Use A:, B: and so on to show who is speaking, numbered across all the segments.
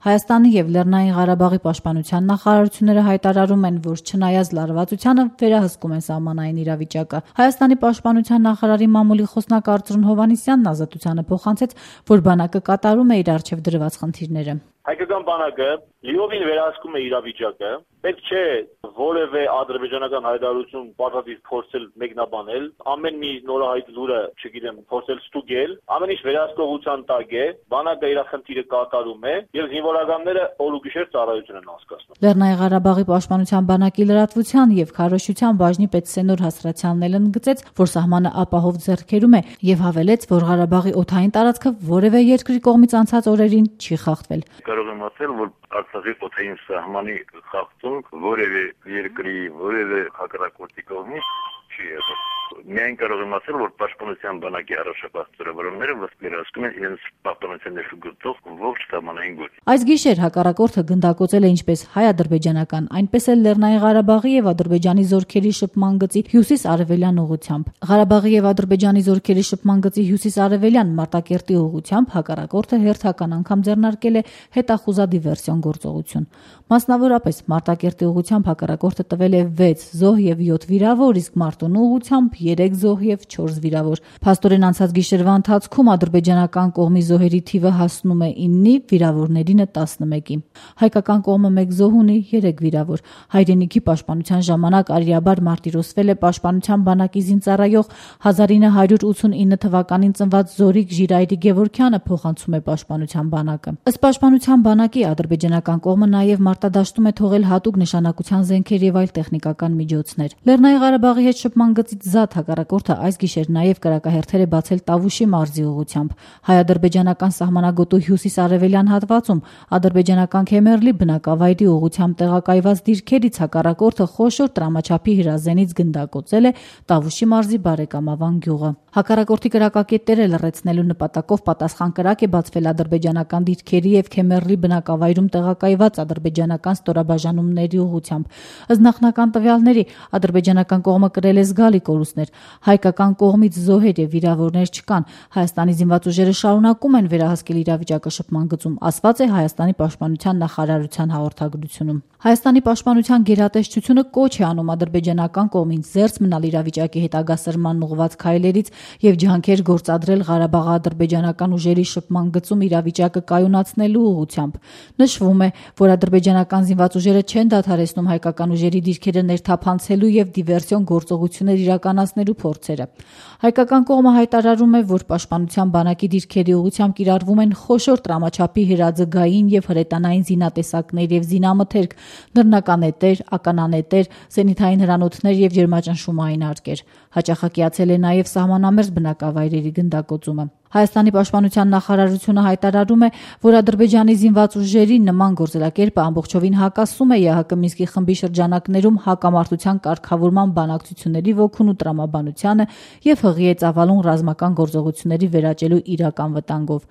A: Հայաստանի եւ Լեռնային Ղարաբաղի պաշտպանության նախարարությունները հայտարարում են, որ չնայած լարվածությանը վերահսկում են սահմանային իրավիճակը։ Հայաստանի պաշտպանության նախարարի մամուլի խոսնակ Արծրուն Հովհաննիսյանն Ազատությանը փոխանցեց, որ բանակը կատարում է իր առջև դրված խնդիրները։
B: Հայկական բանակը լիովին վերահսկում է իրավիճակը, պետք չէ որևէ ադրբեջանական հայտարարություն պարտադիր փորձել մեկնաբանել, ամեն մի նորահայտ լուրը, փորձել ստուգել, ամեն ինչ վերահսկողության տակ է, բանակը իր խնդիրը կատարում է եւ զինվորականները օր ու գիշեր ծառայություն են անցկացնում։
A: Լեռնային Ղարաբաղի պաշտպանության բանակի լրատվության եւ քարոզչության բաժնի պետ Սենոր Հասրացյանն էլ ընդգծեց, որ սահմանը ապահով ձեռքերում է եւ հավելեց, որ Ղարաբաղի օդային տարածքը որևէ երկրի կողմից անցած օրերին չի խախտվել։
C: Կարող եմ ասել, որ Արցախի օդային սահմանի խախտում որևէ երկրի, որևէ հակառակորդի կողմից չի եղել։ Միայն կարող եմ ասել, որ պաշտպանության բանակի առաջապահ ծրագրերը վերահսկում են իրենց պաշտպանության ներշուգծող ողջ սահմանային գոտի։
A: Այս գիշեր հակառակորդը գնդակոծել է ինչպես հայ-ադրբեջանական, այնպես էլ Լեռնային Ղարաբաղի եւ Ադրբեջանի զորքերի շփման գծի հյուսիս-արևելյան ուղղությամբ։ Ղարաբաղի եւ Ադրբեջանի զորքերի շփման գծի հյուսիս-արևելյան Մարտակերտի ուղղությամբ հակառակորդը հերթական անգամ ձեռնարկել է հետախուզադիվերսիոն գործողություն։ Մասնավորապես Մարտակերտի ուղղությամբ հակառակորդը տվել է 6 զոհ եւ 7 վիրավոր, իսկ Մարտունու ուղղությամբ 3 զոհ եւ 4 վիրավոր։ Փաստորեն անցած գիշերվա ընթացքում ադրբեջանական կողմի զոհերի թիվը հասնում է 9-ի, վիրավորներինը 11-ի։ Հայկական կողմը 1 զոհ ունի, 3 վիրավոր։ Հայրենիքի պաշտպանության ժամանակ արիաբար մարտիրոսվել է պաշտպանության բանակի զինծառայող 1989 թվականին ծնված Զորիկ Ժիրայրի Գևորգյանը, փոխանցում է պաշտպանության բանակը։ Ըստ պաշտպանության բանակի ադրբեջանական կողմը նաեւ մարտադաշտում է թողել հատուկ նշանակության զենքեր եւ այլ տեխնիկական միջոցներ։ Լեռնային Ղարաբաղի հետ շփման գծից զատ հակառակորդը այս գիշեր նաեւ կրակահերթեր է բացել Տավուշի մարզի ուղղությամբ։ Հայ-ադրբեջանական սահմանագոտու հյուսիս-արևելյան հատվածում ադրբեջանական Քեմերլի բնակավայրի ուղղությամբ տեղակայված դիրքերից հակառակորդը խոշոր տրամաչափի հրազենից գնդակոծել է Տավուշի մարզի Բարեկամավան գյուղը։ Հակառակորդի կրակակետերը լռեցնելու նպատակով պատասխան կրակ է բացվել ադրբեջանական դիրքերի եւ Քեմերլի բնակավայրում տեղակայված ադրբեջանական ստորաբաժանումների ուղղությամբ։ Ըստ նախնական տվյալների ադրբեջանական կողմը կրել է զգալի կորուստներ։ Հայկական կողմից զոհեր եւ վիրավորներ չկան։ Հայաստանի զինված ուժերը շարունակում են վերահսկել իրավիճակը շփման գծում, ասված է Հայաստանի պաշտպանության նախարարության հաղորդագրությունում։ Հայաստանի պաշտպանության գերատեսչությունը կոչ է անում ադրբեջանական կողմին զերծ մնալ իրավիճակի հետագա սրմանն ուղղված քայլերից եւ ջանքեր գործադրել Ղարաբաղ-ադրբեջանական ուժերի շփման գծում իրավիճակը կայունացնելու ուղղությամբ։ Նշվում է, որ ադրբեջանական զինված ուժերը չեն դադարեցնում հայկական ուժերի դիրքերը ներթափանցելու եւ դիվերսիոն գործողություններ իրականացնելու փորձերը։ Հայկական կողմը հայտարարում է, որ պաշտպանության բանակի դիրքերի ուղղությամբ կիրառվում են խոշոր տրամաչափի հրաձգային եւ հրետանային զինատեսակներ եւ զինամթերք, նռնականետեր, ականանետեր, զենիթային հրանոթներ եւ ջերմաճնշումային արկեր։ Հաճախակիացել է նաեւ սահմանամերձ բնակավայրերի գնդակոծումը։ Հայաստանի պաշտպանության նախարարությունը հայտարարում է, որ Ադրբեջանի զինված ուժերի նման գործելակերպը ամբողջովին հակասում է ԵԱՀԿ Մինսկի խմբի շրջանակներում հակամարտության կարգավորման բանակցությունների ոգուն ու տրամաբանությանը եւ հղի է ծավալուն ռազմական գործողությունների վերաճելու իրական վտանգով։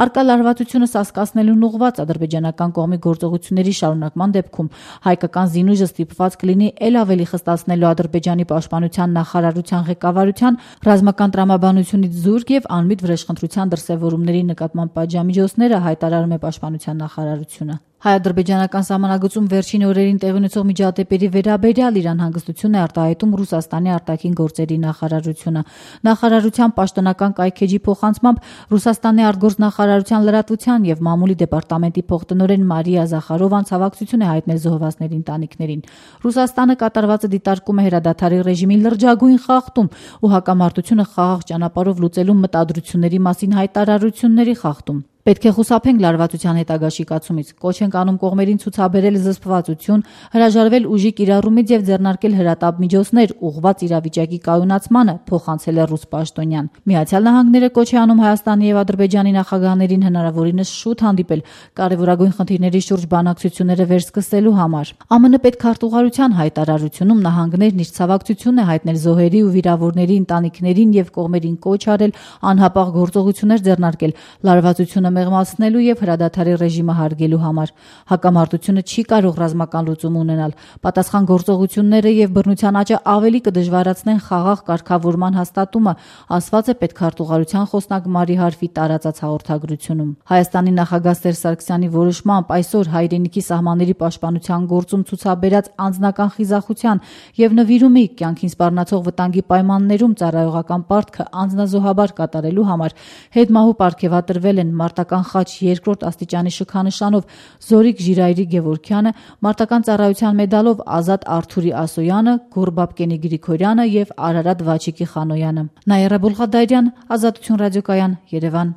A: Արկա լարվածությունը սասկացնելուն ուղղված ադրբեջանական կողմի գործողությունների շարունակման դեպքում հայկական զինուժը ստիպված կլինի ել ավելի խստացնելու Ադրբեջանի պաշտպանության նախարարության ղեկավարության ռազմական տրամաբանությունից զուրկ եւ անմիտ վրեժխնդրության դրսևորումների նկատմամբ պատժամիջոցները, հայտարարում է պաշտպանության նախարարությունը։ Հայ-ադրբեջանական սահմանագծում վերջին օրերին տեղի ունեցող միջադեպերի վերաբերյալ իր անհանգստությունն է արտահայտում Ռուսաստանի արտաքին գործերի նախարարությունը։ Նախարարության պաշտոնական կայքեջի փոխանցմամբ Ռուսաստանի արտգործնախարարության լրատվության եւ մամուլի դեպարտամենտի փոխտնօրեն Մարիա Զախարովան ցավակցություն է հայտնել զոհվածների ընտանիքներին։ Ռուսաստանը կատարվածը դիտարկում է հրադադարի ռեժիմի լրջագույն խախտում ու հակամարտությունը խաղաղ ճանապարհով լուծելու մտադրությունների մասին հայտարարությունների խախտում։ Պետք է խուսափենք լարվածության հետագա շիկացումից, կոչ ենք անում կողմերին ցուցաբերել զսպվածություն, հրաժարվել ուժի կիրառումից եւ ձեռնարկել հրատապ միջոցներ ուղղված իրավիճակի կայունացմանը, փոխանցել է ռուս պաշտոնյան։ Միացյալ Նահանգները կոչ է անում Հայաստանի եւ Ադրբեջանի նախագահներին հնարավորինս շուտ հանդիպել կարևորագույն խնդիրների շուրջ բանակցությունները վերսկսելու համար։ ԱՄՆ պետքարտուղարության հայտարարությունում նահանգներն իր ցավակցությունն է հայտնել զոհերի ու վիրավորների ընտանիքներին եւ կողմերին կոչ արել անհապաղ գործողություններ ձեռնարկել լարվածությունը մեղմացնելու եւ հրադադարի ռեժիմը հարգելու համար։ Հակամարտությունը չի կարող ռազմական լուծում ունենալ։ Պատասխան գործողությունները եւ բռնության աճը ավելի կդժվարացնեն խաղաղ կարգավորման հաստատումը, ասված է պետքարտուղարության խոսնակ Մարի Հարֆի տարածած հաղորդագրությունում։ Հայաստանի նախագահ Սերժ Սարգսյանի որոշմամբ այսօր հայրենիքի սահմանների պաշտպանության գործում ցուցաբերած անձնական խիզախության եւ նվիրումի կյանքին սպառնացող վտանգի պայմաններում ծառայողական պարտքը անձնազոհաբար կատարելու համար հետմահու պարգևատրվել են մարտական խաչ 2-րդ աստիճանի շքանշանով Զորիկ Ժիրայրի Գևորգյանը, մարտական ծառայության մեդալով Ազատ Արթուրի Ասոյանը, Գոռ Բաբկենի Գրիգորյանը եւ Արարատ Վաչիկի Խանոյանը։ Նայիրա Բուլղադարյան, Ազատություն ռադիոկայան, Երևան։